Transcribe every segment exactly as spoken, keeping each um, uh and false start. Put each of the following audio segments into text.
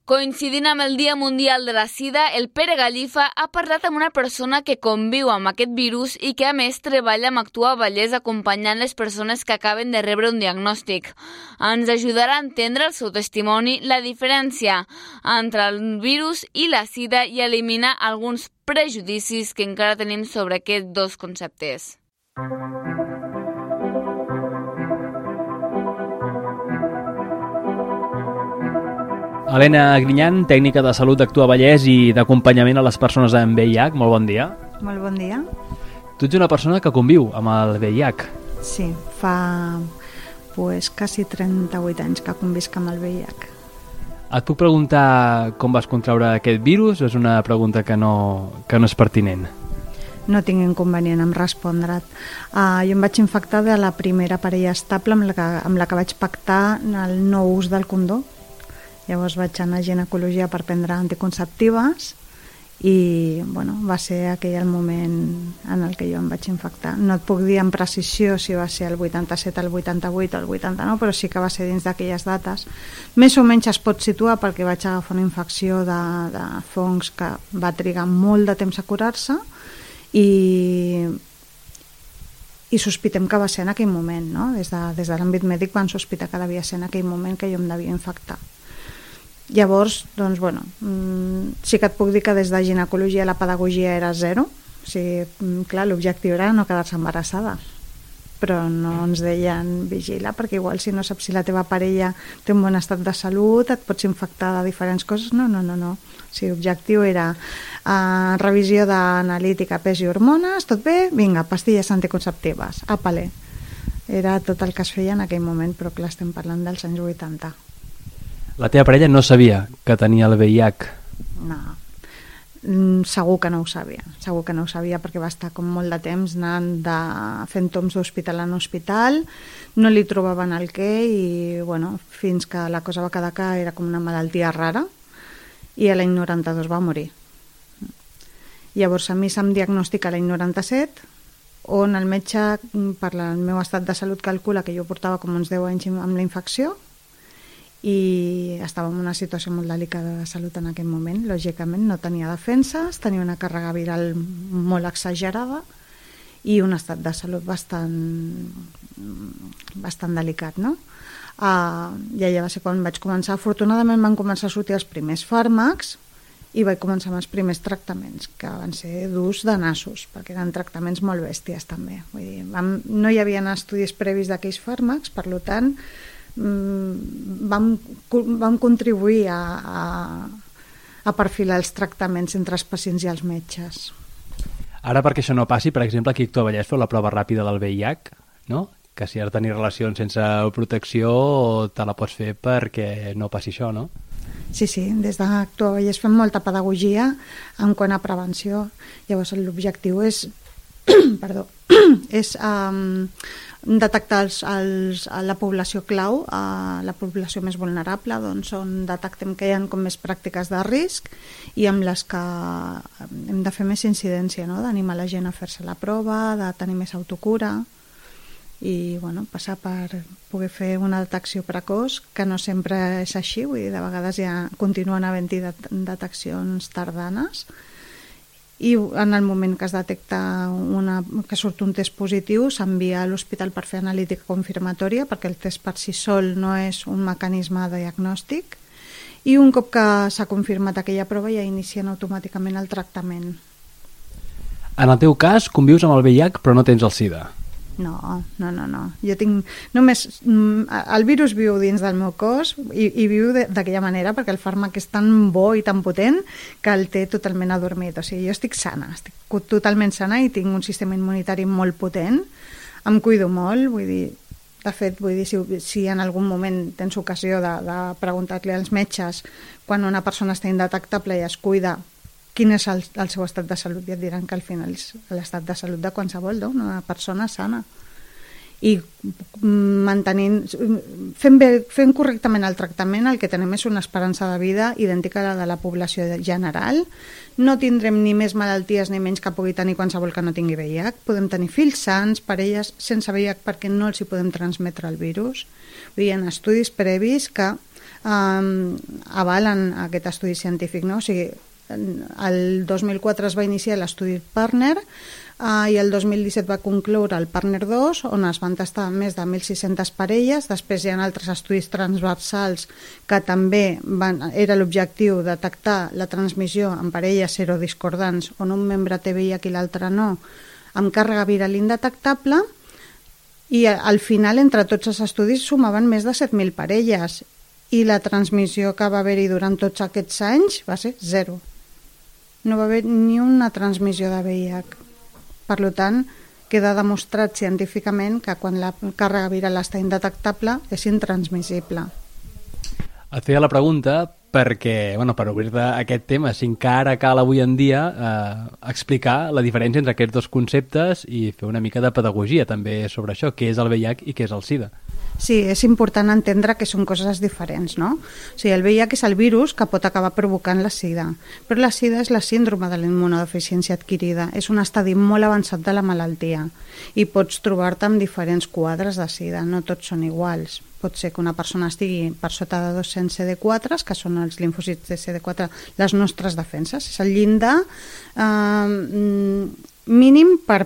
Coincidint amb el Dia Mundial de la Sida, el Pere Gallifa ha parlat amb una persona que conviu amb aquest virus i que a més treballa amb Actua Vallès acompanyant les persones que acaben de rebre un diagnòstic. Ens ajudarà a entendre el seu testimoni la diferència entre el virus i la sida i eliminar alguns prejudicis que encara tenim sobre aquests dos conceptes. Helena Grinyan, tècnica de salut d'Actua Vallès i d'acompanyament a les persones amb V I H. Molt bon dia. Molt bon dia. Tu ets una persona que conviu amb el V I H. Sí, fa pues, quasi trenta-vuit anys que convisc amb el V I H. Et puc preguntar com vas contraure aquest virus o és una pregunta que no, que no és pertinent? No tinc inconvenient en respondre't. Uh, jo em vaig infectar de la primera parella estable amb la que, amb la que vaig pactar el no ús del condó. Llavors vaig anar a ginecologia per prendre anticonceptives i bueno, va ser aquell el moment en el que jo em vaig infectar. No et puc dir amb precisió si va ser el vuitanta-set, el vuitanta-vuit o el vuitanta-nou, però sí que va ser dins d'aquelles dates. Més o menys es pot situar perquè vaig agafar una infecció de, de fongs que va trigar molt de temps a curar-se i, i sospitem que va ser en aquell moment, no? Des de, des de l'àmbit mèdic van sospitar que devia ser en aquell moment que jo em devia infectar. Llavors, doncs, bueno, sí que et puc dir que des de ginecologia la pedagogia era zero. O sigui, clar, l'objectiu era no quedar-se embarassada. Però no ens deien vigila, perquè igual si no saps si la teva parella té un bon estat de salut, et pots infectar de diferents coses. No, no, no, no. O sigui, l'objectiu era uh, revisió d'analítica, pes i hormones, tot bé? Vinga, pastilles anticonceptives, apale. Era tot el que es feia en aquell moment, però clar, estem parlant dels anys vuitanta. La teva parella no sabia que tenia el V I H? No, segur que no ho sabia. Segur que no ho sabia perquè va estar com molt de temps anant de, fent toms d'hospital en hospital, no li trobaven el què i bueno, fins que la cosa va quedar que era com una malaltia rara i a l'any noranta-dos va morir. Llavors a mi se'm diagnostica l'any noranta-set, on el metge, per el meu estat de salut, calcula que jo portava com uns deu anys amb la infecció i estava en una situació molt delicada de salut en aquell moment. Lògicament no tenia defenses, tenia una càrrega viral molt exagerada i un estat de salut bastant bastant delicat, no? Uh, i allà va ser quan vaig començar. Afortunadament van començar a sortir els primers fàrmacs i vaig començar amb els primers tractaments, que van ser durs de nassos, perquè eren tractaments molt bèsties també. Vull dir, vam, no hi havia estudis previs d'aquells fàrmacs, per tant Vam, vam contribuir a, a, a perfilar els tractaments entre els pacients i els metges. Ara, perquè això no passi, per exemple, aquí a Actua Vallès feu la prova ràpida del V I H, no? Que si has de tenir relacions sense protecció te la pots fer perquè no passi això, no? Sí, sí, des d'Actua Vallès fem molta pedagogia en quant a prevenció. Llavors l'objectiu és perdó, és um, detectar els, els, la població clau, uh, la població més vulnerable, doncs on detectem que hi ha com més pràctiques de risc i amb les que hem de fer més incidència, no? D'animar la gent a fer-se la prova, de tenir més autocura i bueno, passar per poder fer una detecció precoç, que no sempre és així, vull dir, de vegades ja continuen havent-hi deteccions tardanes. I en el moment que es detecta una, que surt un test positiu s'envia a l'hospital per fer analítica confirmatòria, perquè el test per si sol no és un mecanisme de diagnòstic, i un cop que s'ha confirmat aquella prova ja inicien automàticament el tractament. En el teu cas convius amb el V I H però no tens el SIDA? No, no, no, no. Jo tinc només... El virus viu dins del meu cos i, i viu d'aquella manera perquè el fàrmac és tan bo i tan potent que el té totalment adormit. O sigui, jo estic sana, estic totalment sana i tinc un sistema immunitari molt potent. Em cuido molt, vull dir... De fet, vull dir, si, si en algun moment tens ocasió de, de preguntar-li als metges quan una persona està indetectable i es cuida quin és el, el seu estat de salut, i et diran que al final és l'estat de salut de qualsevol, no? Una persona sana. I mantenint, fent, bé, fent correctament el tractament, el que tenim és una esperança de vida idèntica a la de la població general. No tindrem ni més malalties ni menys que pugui tenir qualsevol que no tingui V I H. Podem tenir fills sans, parelles sense V I H perquè no els hi podem transmetre el virus. Hi ha estudis previs que eh, avalen aquest estudi científic, no? O sigui, el dos mil quatre es va iniciar l'estudi Partner eh, i el dos mil disset va concloure el Partner dos, on es van tastar més de mil sis-centes parelles. Després hi ha altres estudis transversals que també van, era l'objectiu detectar la transmissió en parelles serodiscordants on un membre té V I H i l'altre no, amb càrrega viral indetectable, i al final entre tots els estudis sumaven més de set mil parelles i la transmissió que va haver-hi durant tots aquests anys va ser zero. No va haver ni una transmissió de V I H. Per tant, queda demostrat científicament que quan la càrrega viral està indetectable és intransmissible. Et feia la pregunta perquè, bueno, per obrir-te aquest tema, si encara cal avui en dia eh, explicar la diferència entre aquests dos conceptes i fer una mica de pedagogia també sobre això, què és el V I H i què és el SIDA. Sí, és important entendre que són coses diferents, no? O sigui, el V I H és el virus que pot acabar provocant la SIDA, però la SIDA és la síndrome de la immunodeficiència adquirida, és un estadi molt avançat de la malaltia i pots trobar-te amb diferents quadres de SIDA, no tots són iguals. Pot ser que una persona estigui per sota de dos-cents C D quatre, que són els limfòcits de C D quatre, les nostres defenses, és el llindar eh, mínim per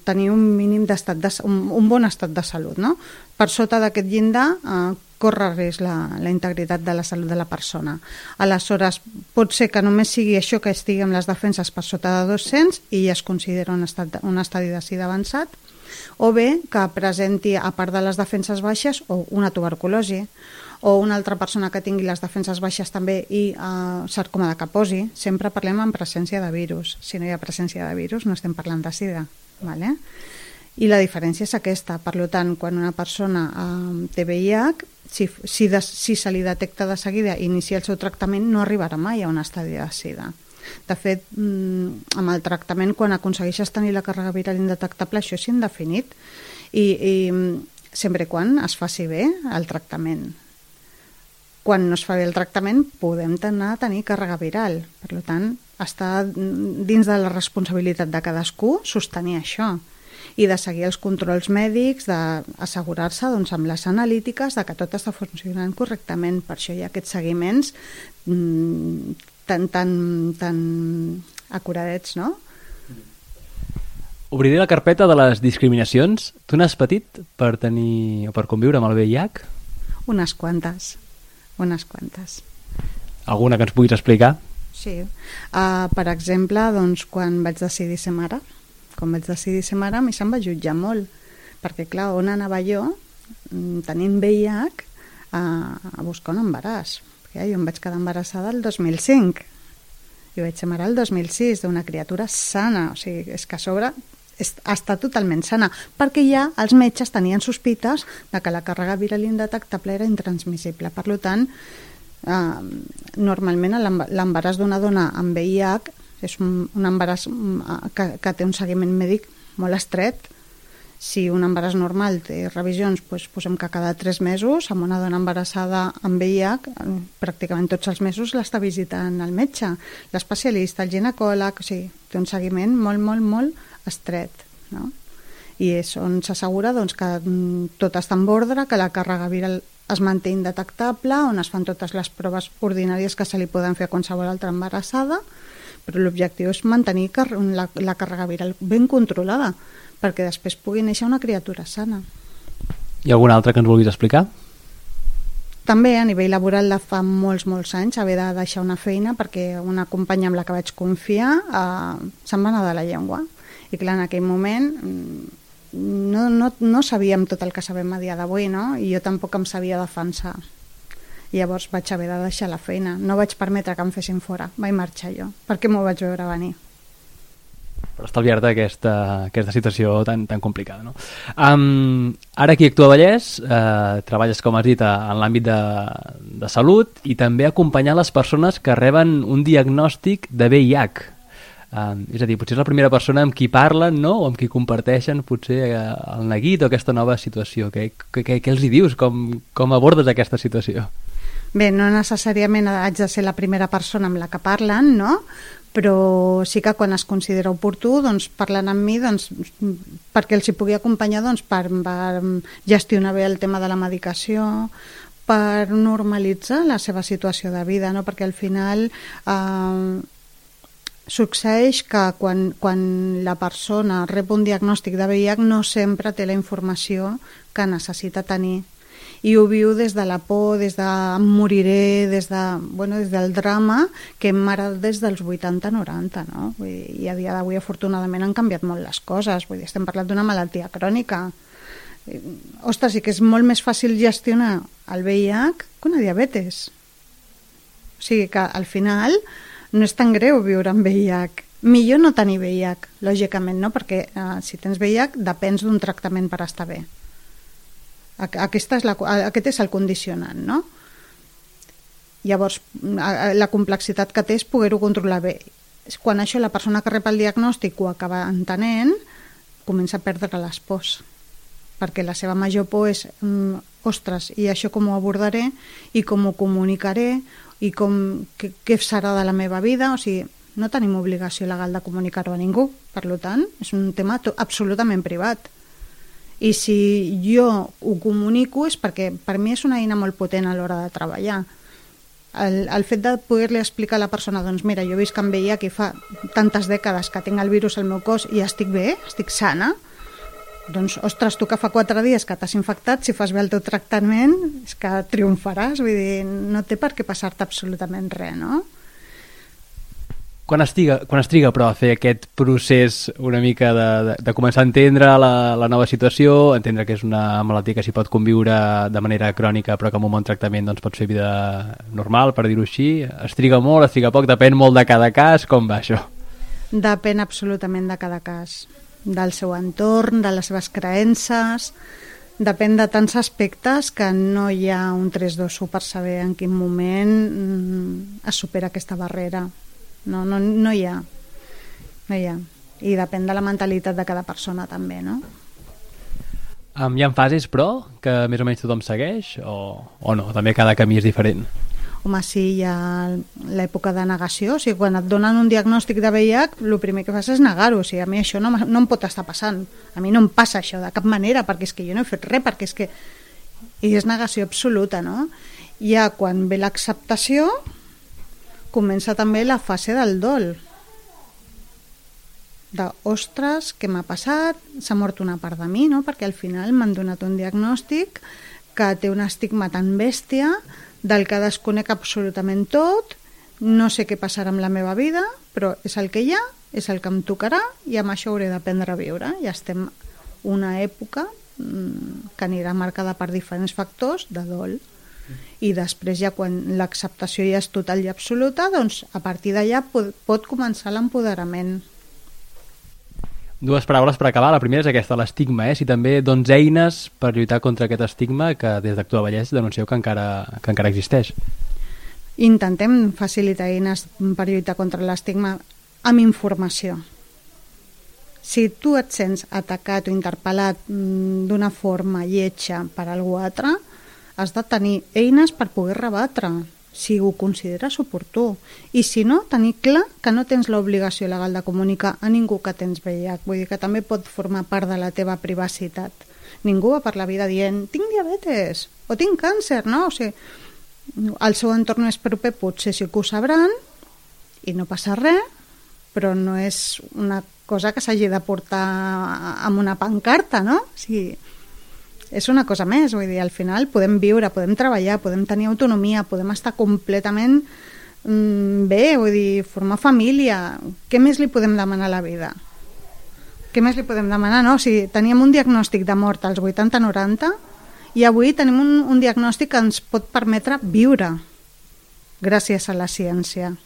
tenir un mínim d'estat de, un, un bon estat de salut, no? Per sota d'aquest llindar eh, corre risc la, la integritat de la salut de la persona. Aleshores, pot ser que només sigui això, que estigui amb les defenses per sota de dos-cents i ja es considera un, estat, un estadi de SIDA avançat, o bé que presenti, a part de les defenses baixes, o una tuberculosi, o una altra persona que tingui les defenses baixes també i eh, sarcoma de Kaposi. Sempre parlem en presència de virus. Si no hi ha presència de virus no estem parlant de SIDA, ¿vale? I la diferència és aquesta. Per tant, quan una persona eh, té V I H, si, si, de, si se li detecta de seguida i inicia el seu tractament, no arribarà mai a un estadi de SIDA. De fet, amb el tractament, quan aconsegueixes tenir la càrrega viral indetectable, això és indefinit i, i sempre i quan es faci bé el tractament. Quan no es fa bé el tractament podem anar a tenir càrrega viral. Per tant, està dins de la responsabilitat de cadascú sostenir això i de seguir els controls mèdics, d'assegurar-se doncs, amb les analítiques de que tot està funcionant correctament. Per això hi ha aquests seguiments mmm, tan, tan, tan acuradets, no? Obriré la carpeta de les discriminacions. Tu n'has patit per tenir o per conviure amb el V I H? Unes quantes, unes quantes. Alguna que ens puguis explicar? Sí. Uh, per exemple, doncs, quan vaig decidir ser mare, quan vaig decidir ser mare, a mi se'm va jutjar molt, perquè, clar, on anava jo, tenint V I H, a, a buscar un embaràs? Perquè jo em vaig quedar embarassada el dos mil cinc i vaig ser mare el dos mil sis d'una criatura sana, o sigui, és que a sobre és, està totalment sana, perquè ja els metges tenien sospites de que la càrrega viral indetectable era intransmissible. Per tant, eh, normalment l'embaràs d'una dona amb V I H és un, un embaràs que, que té un seguiment mèdic molt estret. Si un embaràs normal té revisions, doncs posem que cada tres mesos, amb una dona embarassada amb V I H, pràcticament tots els mesos l'està visitant el metge, l'especialista, el ginecòleg, o sigui, té un seguiment molt, molt, molt estret, no? I és on s'assegura doncs, que tot està en ordre, que la càrrega viral es manté indetectable, on es fan totes les proves ordinàries que se li poden fer a qualsevol altra embarassada, però l'objectiu és mantenir la, la càrrega viral ben controlada, perquè després pugui néixer una criatura sana. Hi ha alguna altra que ens vulguis explicar? També a nivell laboral de fa molts, molts anys haver de deixar una feina perquè una companya amb la que vaig confiar eh, se'n va anar de la llengua. I clar, en aquell moment no, no, no sabíem tot el que sabem a dia d'avui, no? I jo tampoc em sabia defensar. I llavors vaig haver de deixar la feina. No vaig permetre que em fessin fora. Vaig marxar jo, perquè m'ho vaig veure venir. Per estalviar-te aquesta, aquesta situació tan, tan complicada, no? Um, ara aquí a Actua Vallès eh, treballes, com has dit, en l'àmbit de, de salut i també acompanyar les persones que reben un diagnòstic de V I H. Um, és a dir, potser és la primera persona amb qui parlen, no? O amb qui comparteixen potser el neguit o aquesta nova situació. Què, què, què els hi dius? Com, com abordes aquesta situació? Bé, no necessàriament haig de ser la primera persona amb la que parlen, no? Però sí que quan es considera oportú doncs, parlen amb mi doncs, perquè els hi pugui acompanyar doncs, per, per gestionar bé el tema de la medicació, per normalitzar la seva situació de vida, no? Perquè al final eh, succeeix que quan, quan la persona rep un diagnòstic de V I H no sempre té la informació que necessita tenir, i ho viu des de la por, des de em moriré, des, de, bueno, des del drama que hem heretat des dels vuitanta noranta, no? Vull dir, i a dia d'avui afortunadament han canviat molt les coses, vull dir, estem parlant d'una malaltia crònica. Ostres, sí que és molt més fàcil gestionar el V I H que una diabetes. O sigui que al final no és tan greu viure amb V I H. Millor no tenir V I H, lògicament, no? Perquè eh, si tens V I H depens d'un tractament per estar bé. Aquesta és la, aquest és el condicionant, no? Llavors, la complexitat que té és poder-ho controlar bé. Quan això la persona que rep el diagnòstic ho acaba entenent, comença a perdre les pors, perquè la seva major por és mm, ostres, i això com ho abordaré, i com ho comunicaré, i com, què, què serà de la meva vida. O sigui, no tenim obligació legal de comunicar-ho a ningú, per tant, és un tema absolutament privat. I si jo ho comunico és perquè per mi és una eina molt potent a l'hora de treballar. El, el fet de poder-li explicar a la persona, doncs mira, jo visc amb V I H i fa tantes dècades que tinc el virus al meu cos i estic bé, estic sana, doncs, ostres, tu que fa quatre dies que t'has infectat, si fas bé el teu tractament, és que triomfaràs, vull dir, no té per què passar-te absolutament res, no? Quan es triga, quan es triga però a fer aquest procés una mica de, de, de començar a entendre la, la nova situació, entendre que és una malaltia que s'hi pot conviure de manera crònica però que amb un bon tractament doncs, pots fer vida normal, per dir-ho així, es triga molt, es triga poc, depèn molt de cada cas, com va això? Depèn absolutament de cada cas, del seu entorn, de les seves creences, depèn de tants aspectes que no hi ha un tres dos u per saber en quin moment mm, es supera aquesta barrera. No, no, no hi ha. No hi ha. I depèn de la mentalitat de cada persona també, no? Um, hi ha fases, però, que més o menys tothom segueix? O, o no? També cada camí és diferent? Home, sí, hi ha l'època de negació. O sigui, quan et donen un diagnòstic de V I H, el primer que fas és negar-ho. O sigui, a mi això no, no em pot estar passant. A mi no em passa això de cap manera, perquè és que jo no he fet res, perquè és que... I és negació absoluta, no? Ja quan ve l'acceptació, comença també la fase del dol. De, ostres, què m'ha passat? S'ha mort una part de mi, no? Perquè al final m'han donat un diagnòstic que té un estigma tan bèstia, del que desconec absolutament tot, no sé què passarà amb la meva vida, però és el que hi ha, és el que em tocarà, i amb això hauré d'aprendre a viure. I estem una època mmm, que anirà marcada per diferents factors de dol. I després ja quan l'acceptació ja és total i absoluta, doncs a partir d'allà pot, pot començar l'empoderament. Dues paraules per acabar. La primera és aquesta, l'estigma, eh? Si també dones eines per lluitar contra aquest estigma que des d'Actua Vallès denuncieu que encara, que encara existeix. Intentem facilitar eines per lluitar contra l'estigma amb informació. Si tu et sents atacat o interpel·lat d'una forma lletja per algú altre, has de tenir eines per poder rebatre, si ho consideres oportú. I si no, tenir clar que no tens l'obligació legal de comunicar a ningú que tens V I H. Vull dir que també pot formar part de la teva privacitat. Ningú va per la vida dient tinc diabetes o tinc càncer, no? O sigui, el seu entorn més proper potser sí que ho sabran i no passa res, però no és una cosa que s'hagi de portar amb una pancarta, no? O sigui, és una cosa més, vull dir, al final podem viure, podem treballar, podem tenir autonomia, podem estar completament mm, bé, vull dir, formar família. Què més li podem demanar a la vida? Què més li podem demanar, no? O sigui, teníem un diagnòstic de mort als vuitanta noranta i avui tenim un, un diagnòstic que ens pot permetre viure gràcies a la ciència.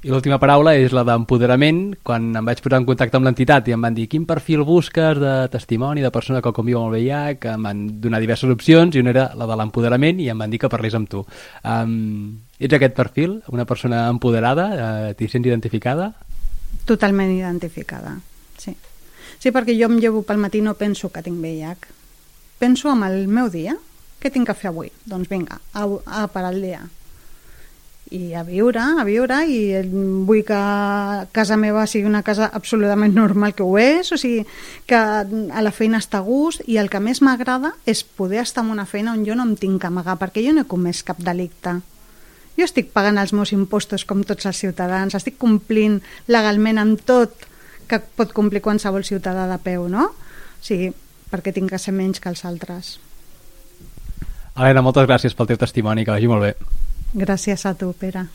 I l'última paraula és la d'empoderament. Quan em vaig posar en contacte amb l'entitat i em van dir quin perfil busques de testimoni de persona que conviu amb el V I H, que em van donar diverses opcions i una era la de l'empoderament i em van dir que parlés amb tu. Um, ets aquest perfil? Una persona empoderada? Uh, T'hi sents identificada? Totalment identificada, sí. Sí, perquè jo em llevo pel matí i no penso que tinc V I H. Penso en el meu dia. Què tinc que fer avui? Doncs vinga, a, a per al dia. i a viure, a viure, i vull que casa meva sigui una casa absolutament normal, que ho és, o sigui, que a la feina està a gust, i el que més m'agrada és poder estar en una feina on jo no em tinc que amagar, perquè jo no he comès cap delicte. Jo estic pagant els meus impostos com tots els ciutadans, estic complint legalment amb tot que pot complir qualsevol ciutadà de peu, no? O sigui, perquè tinc que ser menys que els altres. Helena, moltes gràcies pel teu testimoni, que vagi molt bé. Gràcies a tu, Pere.